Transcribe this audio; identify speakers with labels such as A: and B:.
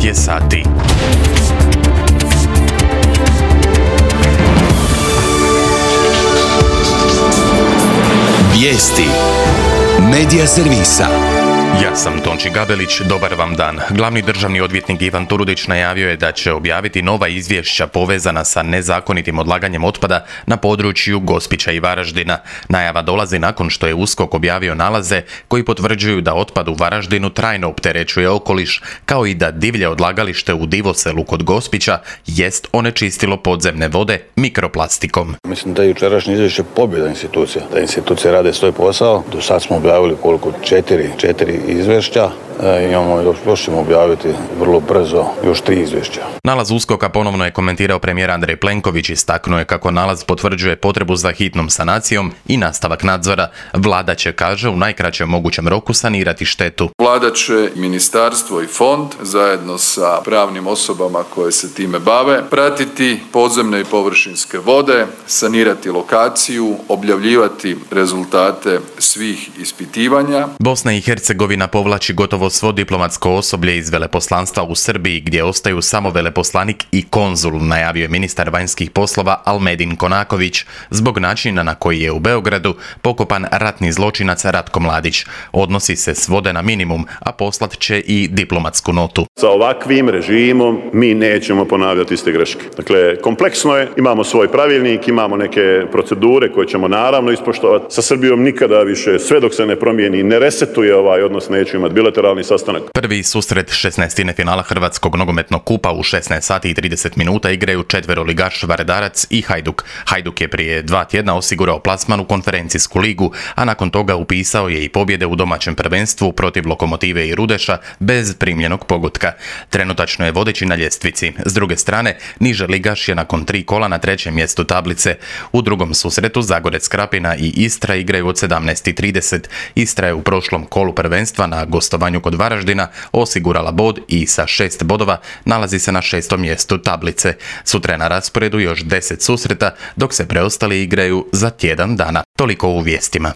A: je sati.
B: Vijesti Medija servisa.
A: Ja sam Tonči Gabelić, dobar vam dan. Glavni državni odvjetnik Ivan Turudić najavio je da će objaviti nova izvješća povezana sa nezakonitim odlaganjem otpada na području Gospića i Varaždina. Najava dolazi nakon što je USKOK objavio nalaze koji potvrđuju da otpad u Varaždinu trajno opterećuje okoliš, kao i da divlje odlagalište u Divoselu kod Gospića jest onečistilo podzemne vode mikroplastikom.
C: Mislim da je jučerašnje izvješće pobjeda institucija, da institucije rade svoj posao. Do sad smo objavili četiri izvješća. Još ćemo objaviti vrlo brzo još 3 izvješća.
A: Nalaz USKOK-a ponovno je komentirao premijer Andrej Plenković, istaknuo je kako nalaz potvrđuje potrebu za hitnom sanacijom i nastavak nadzora. Vlada će, kaže, u najkraćem mogućem roku sanirati štetu.
D: Vlada će, ministarstvo i fond zajedno sa pravnim osobama koje se time bave pratiti podzemne i površinske vode, sanirati lokaciju, objavljivati rezultate svih ispitivanja.
A: Bosna i Hercegovina povlači gotovo svo diplomatsko osoblje iz veleposlanstva u Srbiji, gdje ostaju samo veleposlanik i konzul, najavio je ministar vanjskih poslova Almedin Konaković, zbog načina na koji je u Beogradu pokopan ratni zločinac Ratko Mladić. Odnosi se svode na minimum, a poslat će i diplomatsku notu.
E: Sa ovakvim režimom mi nećemo ponavljati iste greške. Dakle, kompleksno je, imamo svoj pravilnik, imamo neke procedure koje ćemo naravno ispoštovati. Sa Srbijom nikada više, sve dok se ne promijeni, ne resetuje ovaj odnos, neću imati bilateralni sastanak.
A: Prvi susret 16. finala Hrvatskog nogometnog kupa u 16 sati i 30 minuta igraju četveroligaš Varedarac i Hajduk. Hajduk je prije 2 tjedna osigurao plasman u konferencijsku ligu, a nakon toga upisao je i pobjede u domaćem prvenstvu protiv Lokomotive i Rudeša bez primljenog pogotka. Trenutačno je vodeći na ljestvici. S druge strane, niže ligaš je nakon 3 kola na 3. mjestu tablice. U drugom susretu Zagorec Krapina i Istra igraju od 17:30. Istra je u prošlom kolu prvenstva na gostovanju kod Varaždina osigurala bod i sa 6 bodova nalazi se na 6. mjestu tablice. Sutra je na rasporedu još 10 susreta, dok se preostali igraju za tjedan dana. Toliko u vijestima.